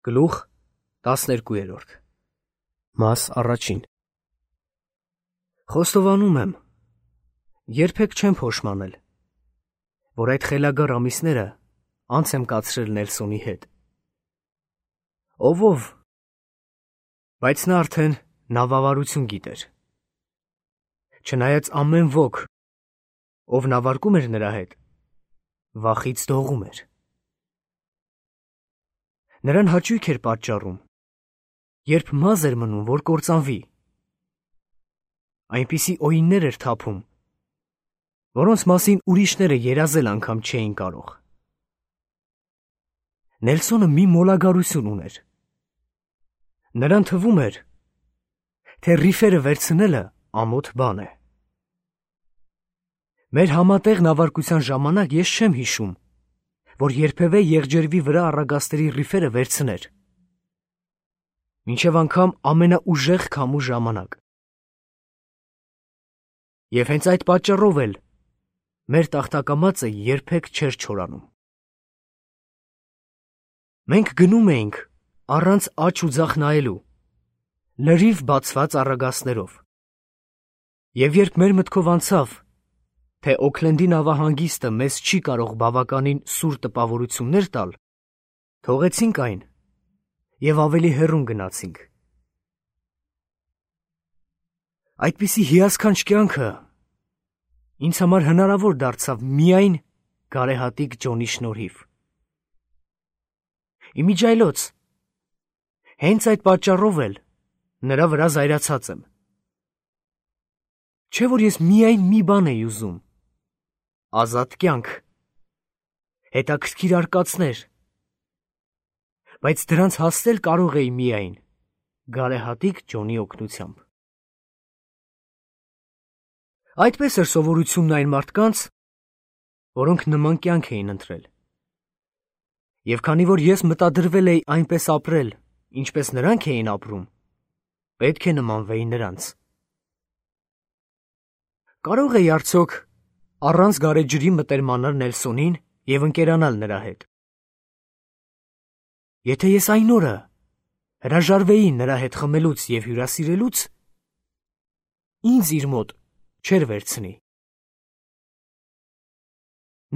Գլուխ 12 Մաս առաջին Խոստովանում եմ, երբեք չեմ փոշմանել, որ այդ խելագար ամիսները անց եմ կացրել Նելսոնի հետ։ Ով, բայց նա արդեն նավավարություն գիտեր։ Չնայած ամեն ոք, ով նավարկում էր նրա հետ, վախից դողում էր։ Նրան հաճույք էր պատճառում, երբ մազ էր մնում, որ կործանվի։ Այնպիսի օիններ էր թափում, որոնց մասին ուրիշները երազել անգամ չէին կարող։ Նելսոնը մի մոլագարություն ուներ։ Նրան թվում էր, թե ռիֆերը վերցնելը ամոթ բան է։ Մեր համատեղ նավարկության ժամանակ ես չեմ հիշում, որ երբևէ եղջերվի վրա առագաստերի ռիֆերը վերցներ, մինչև անգամ ամենաուժեղ քամու ժամանակ։ Եվ հենց այդ պատճառով էլ մեր տախտակամածը երբեք չէր չորանում։ Մենք գնում էինք առանց աջ ու ձախ նայելու, լրիվ բացված առագաստներով։ Եվ երբ մեր մտքով անցավ, թե Օքլենդի նավահանգիստը մեզ չի կարող բավականին սուր տպավորություններ տալ, թողեցինք այն և ավելի հեռուն գնացինք։ Այդպիսի հիասքանչ կյանքը ինձ համար հնարավոր դարձավ միայն գարեհատիկ Ջոնի շնորհիվ։ Իմիջիայլոց, հենց այդ պատճառով էլ նրա վրա զայրացած եմ։ Չէ՞ որ ես միայն մի բան էի ուզում, ազատ կյանք, հետաքրքիր արկածներ, բայց դրանց հասնել կարող էի միայն գարեհատիկ Ջոնի օգնությամբ։ Այդպես էր սովորությունն այն մարդկանց, որոնք նման կյանք էին ընտրել։ Եվ քանի որ ես մտադրվել էի այնպես ապրել, ինչպես նրանք էին ապրում, պետք է նմանվեի նրանց։ Կարող էի արդյոք առանց գարեջրի մտերմանալ Նելսոնին և ընկերանալ նրա հետ։ Եթե ես այն օրը հրաժարվեի նրա հետ խմելուց և հյուրասիրելուց, ինձ իր մոտ չէր վերցնի։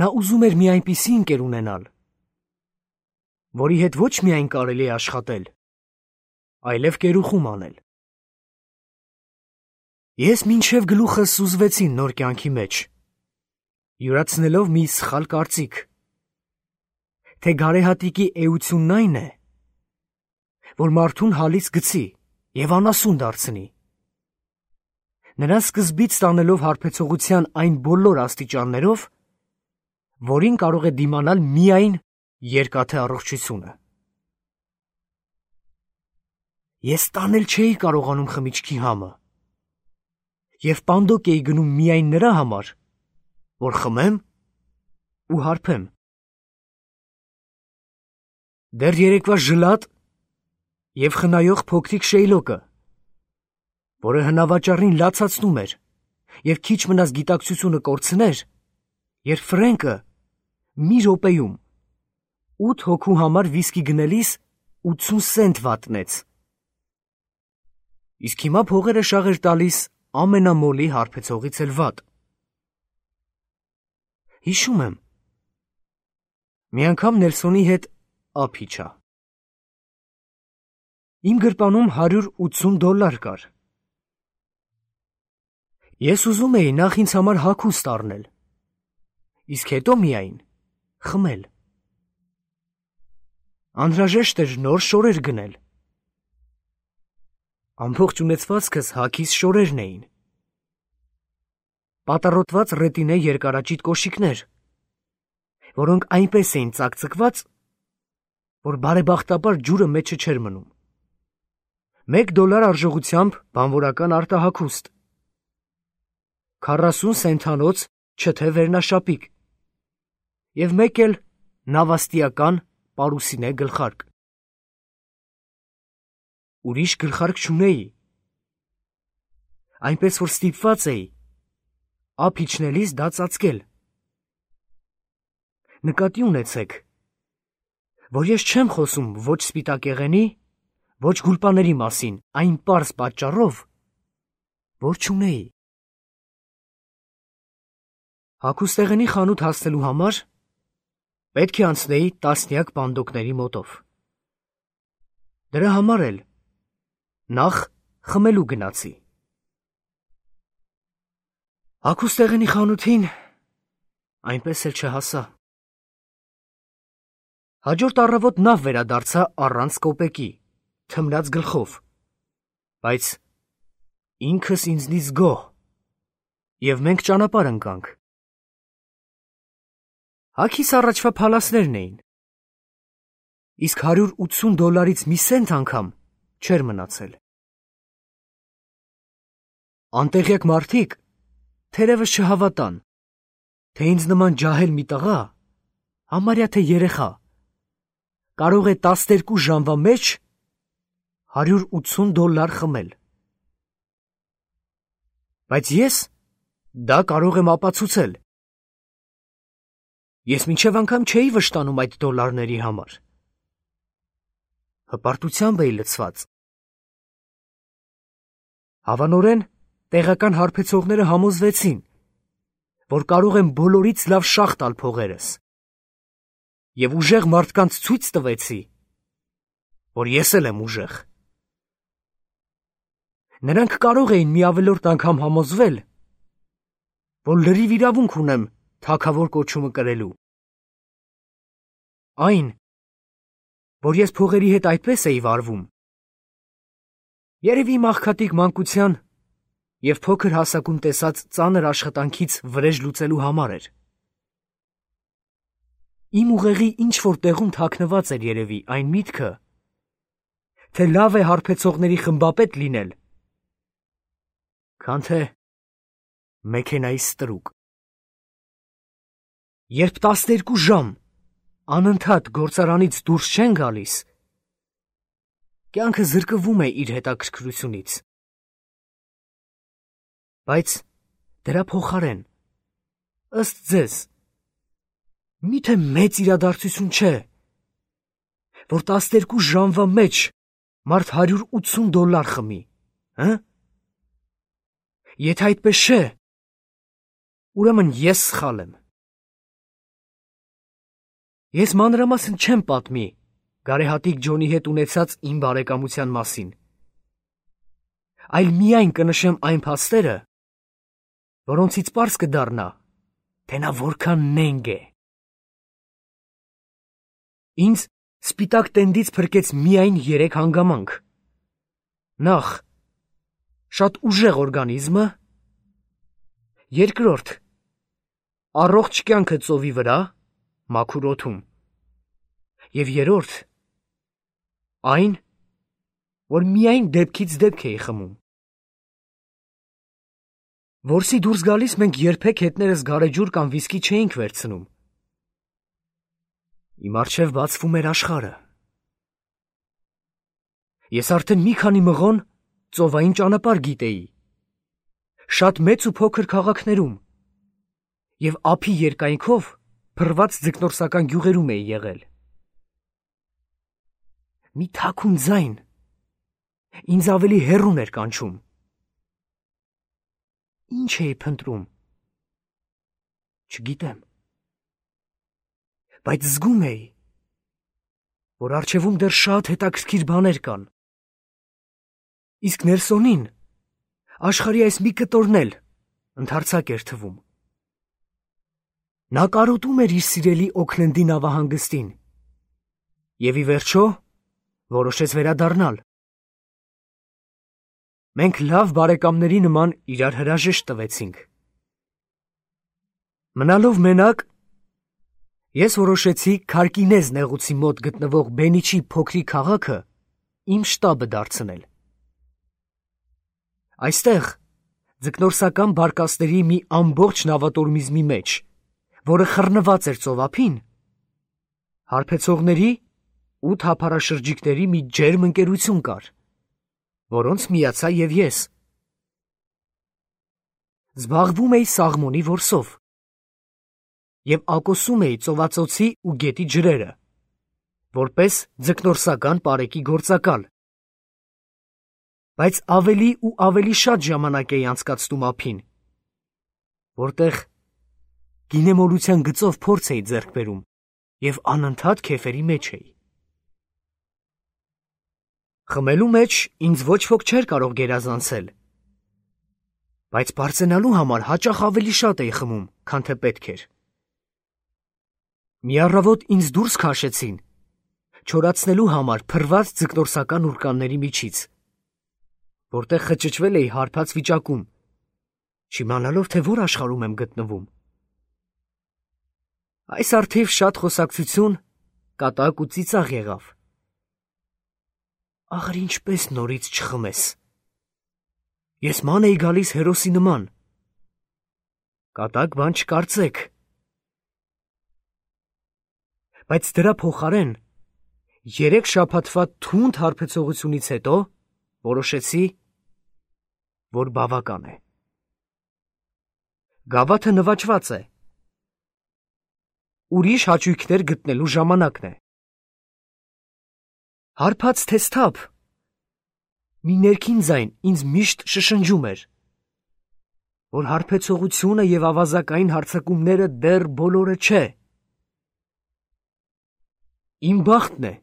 Նա ուզում էր մի այնպիսի ընկեր ունենալ, որի հետ ոչ միայն կարելի է աշխատել, այլև կերուխում անել։ Ես մինչև գլուխս սուզվեցի նոր կյանքի մեջ, յուրացնելով մի սխալ կարծիք, թե գարեհատիկի էությունն այն է, որ մարդուն հալից գցի և անասուն դարձնի, նրան սկզբից տանելով հարբեցողության այն բոլոր աստիճաններով, որին կարող է դիմանալ միայն երկաթե առողջությունը։ Ես տանել չէի կարողանում խմիչքի համը, և պանդոկ էի գնում միայն նրա համար, որ խմեմ ու հարբեմ։ Դեռ երեկվա ժլատ և խնայող փոքրիկ Շեյլոկը, որը հնավաճառին լացացնում էր և քիչ մնաց գիտակցությունը կորցներ, երբ Ֆրենկը մի րոպեում 8 հոգու համար վիսկի գնելիս 80 սենտ վատնեց, իսկ հիմա փողերը շաղ էր տալիս ամենամոլի հարբեցողից էլ վատ։ Հիշում եմ, մի անգամ Նելսոնի հետ ափ իջա։ Իմ գրպանում $180 կար։ Ես ուզում էի նախ ինձ համար հագուստ առնել, իսկ հետո միայն խմել։ Անհրաժեշտ էր նոր շորեր գնել։ Ամբողջ ունեցվածքս հագիս շորերն էին։ Պատառոտված ռետինե երկարաճիտ կոշիկներ, որոնք այնպես էին ծակծկված, որ բարեբախտաբար ջուրը մեջը չէր մնում։ $1 արժողությամբ բանվորական արտահագուստ, 40 սենթանոց չթե վերնաշապիկ և մեկ էլ նավաստիական պարուսինե գլխարկ։ Ուրիշ գլխարկ չունեի, այնպես որ ստիպված էի ափ իջնելիս դա ծածկել։ Նկատի ունեցեք, որ ես չեմ խոսում ոչ սպիտակեղենի, ոչ գուլպաների մասին, այն պարզ պատճառով, որ չունեի։ Հագուստեղենի խանութ հասնելու համար պետք է անցնեի տասնյակ պանդոկների մոտով։ Դրա համար էլ նախ խմելու գնացի։ Հագուստեղենի խանութին այնպես էլ չհասա։ Հաջորդ առավոտ նավ վերադարձա առանց կոպեկի, թմրած գլխով, բայց ինքս ինձնից գոհ, և մենք ճանապարհ ընկանք։ Հագիս առաջվա փալասներն էին, իսկ $180 մի սենտ անգամ չէր մնացել։ Անտեղյակ մարդիկ թերևս չհավատան, թե ինձ նման ջահել մի տղա, համարյա թե երեխա, կարող է 12 ժամվա մեջ $180 խմել։ Բայց ես դա կարող եմ ապացուցել։ Ես մինչև անգամ չէի վշտանում այդ դոլարների համար։ Հպարտությամբ էի լցված։ Հավանորեն տեղական հարբեցողները համոզվեցին, որ կարող եմ բոլորից լավ շաղ տալ փողերս, և ուժեղ մարդկանց ցույց տվեցի, որ ես էլ եմ ուժեղ։ Նրանք կարող էին մի ավելորդ անգամ համոզվել, որ լրիվ իրավունք ունեմ թագավոր կոչումը կրելու։ Այն, որ ես փողերի հետ այդպես էի վարվում, երևի իմ աղքատիկ մանկության և փոքր հասակում տեսած ծանր աշխատանքից վրեժ լուծելու համար էր։ Իմ ուղեղի ինչ-որ տեղում թաքնված էր երևի այն միտքը, թե լավ է հարբեցողների խմբապետ լինել, քան թե մեքենայի ստրուկ։ Երբ 12 ժամ անընդհատ գործարանից դուրս չեն գալիս, կյանքը զրկվում է իր հետաքրքրությունից։ Բայց դրա փոխարեն, ըստ ձեզ, միթե մեծ իրադարձություն չէ, որ 12 ժամվա մեջ մարդ $180 խմի, հը՞։ Եթե այդպես չէ, ուրեմն ես սխալ եմ։ Ես մանրամասն չեմ պատմի գարեհատիկ Ջոնի հետ ունեցած իմ բարեկամության մասին, այլ միայն կնշեմ այն փաստերը, որոնցից պարզ կդառնա, թե նա որքան նենգ է։ Ինձ սպիտակ տենդից փրկեց միայն 3 հանգամանք։ Նախ, շատ ուժեղ օրգանիզմը, երկրորդ, առողջ կյանքը ծովի վրա, մաքուր օդում, և երրորդ, այն, որ միայն դեպքից դեպք էի խմում։ Որսի դուրս գալիս մենք երբեք հետներս գարեջուր կամ վիսկի չէինք վերցնում։ Իմ առջև բացվում էր աշխարհը։ Ես արդեն մի քանի մղոն ծովային ճանապարհ գիտեի, շատ մեծ ու փոքր քաղաքներում, և ափի երկայնքով փռված ձկնորսական գյուղերում էի եղել։ Մի թաքուն ձայն ինձ ավելի հեռուն էր կանչում։ Ինչ էի փնտրում, չգիտեմ, բայց զգում էի, որ առջևում դեռ շատ հետաքրքիր բաներ կան։ Իսկ Նելսոնին աշխարհի այս մի կտորն էլ ընդարձակ էր թվում։ Նա կարոտում էր իր սիրելի Օքլենդի նավահանգստին և ի վերջո որոշեց վերադառնալ։ Մենք լավ բարեկամների նման իրար հրաժեշտ տվեցինք։ Մնալով մենակ, ես որոշեցի Քարկինեզ նեղուցի մոտ գտնվող Բենիչի փոքրիկ քաղաքը իմ շտաբը դարձնել։ Այստեղ, ձկնորսական բարկասների մի ամբողջ նավատորմիզմի մեջ, որը խռնված էր ծովափին, հարբեցողների 8 հափառաշրջիկների մի ջերմ ընկերություն կար, որոնց միացա և ես։ Զբաղվում էի սաղմոնի որսով և ակոսում էի ծովածոցի ու գետի ջրերը, որպես ձկնորսական պարեկի գործակալ։ Բայց ավելի ու ավելի շատ ժամանակ էի անցկացնում ափին, որտեղ գինեմոլության գծով փորձ էի ձեռք բերում և անընդհատ քեֆերի մեջ էի։ Խմելու մեջ ինձ ոչ ոք չէր կարող գերազանցել, բայց պարծենալու համար հաճախ ավելի շատ էի խմում, քան թե պետք էր։ Մի առավոտ ինձ դուրս քաշեցին, չորացնելու համար փռված ձկնորսական ուրկանների միջից, որտեղ խճճվել էի հարբած վիճակում, չիմանալով, թե որ աշխարհում եմ գտնվում։ Այս առթիվ շատ խոսակցություն, կատակ ու ծիծաղ եղավ։ Ախր ինչպես նորից չխմես։ Ես ման էի գալիս հերոսի նման։ Կատակ բան չկարծեք։ Բայց դրա փոխարեն 3 շաբաթվա թունդ հարբեցողությունից հետո որոշեցի, որ բավական է։ Գավաթը նվաճված է։ Ուրիշ հաճույքներ գտնելու ժամանակն է։ Հարբած թե սթափ, մի ներքին ձայն ինձ միշտ շշնջում էր, որ հարբեցողությունը և ավազակային հարձակումները դեռ բոլորը չէ։ Իմ բախտն է,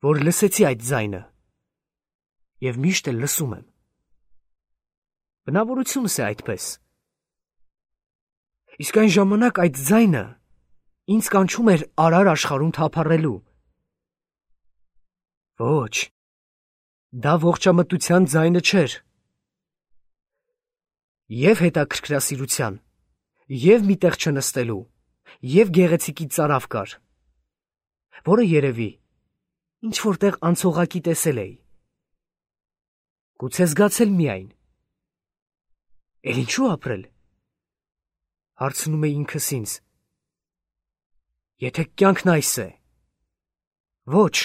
որ լսեցի այդ ձայնը և միշտ էլ լսում եմ։ Բնավորությունս է այդպես։ Իսկ այն ժամանակ այդ ձայնը ինձ կանչում էր արար աշխարհում թափառելու։ Ոչ, դա ողջամտության ձայնը չէր։ Եվ հետաքրքրասիրության, և մի տեղ չնստելու, և գեղեցիկի ծարավ կար, որը երևի ինչ-որտեղ անցողակի տեսել էի։ Գուցե զգացել միայն։ Էլ ինչու ապրել, հարցնում էի ինքս ինձ, եթե կյանքն այս է։ Ոչ,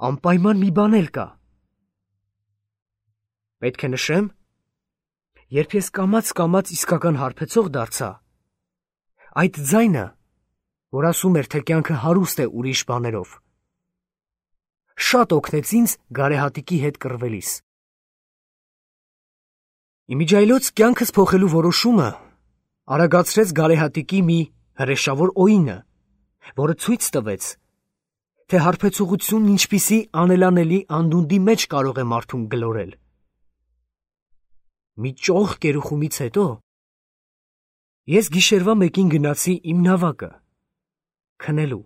անպայման մի բան էլ կա։ Պետք է նշեմ, երբ ես կամաց իսկական հարբեցող դարձա, այդ ձայնը, որ ասում էր, թե կյանքը հարուստ է ուրիշ բաներով, շատ օգնեց ինձ գարեհատիկի հետ կռվելիս։ Իմիջիայլոց կյանքս փոխելու որոշումը արագացրեց գարեհատիկի մի հրեշավոր օինը, որը ցույց տվեց, թե հարբեցողությունն ինչպիսի անելանելի անդունդի մեջ կարող է մարդուն գլորել։ Մի ճոխ կերուխումից հետո ես գիշերվա մեկին գնացի իմ նավակը քնելու։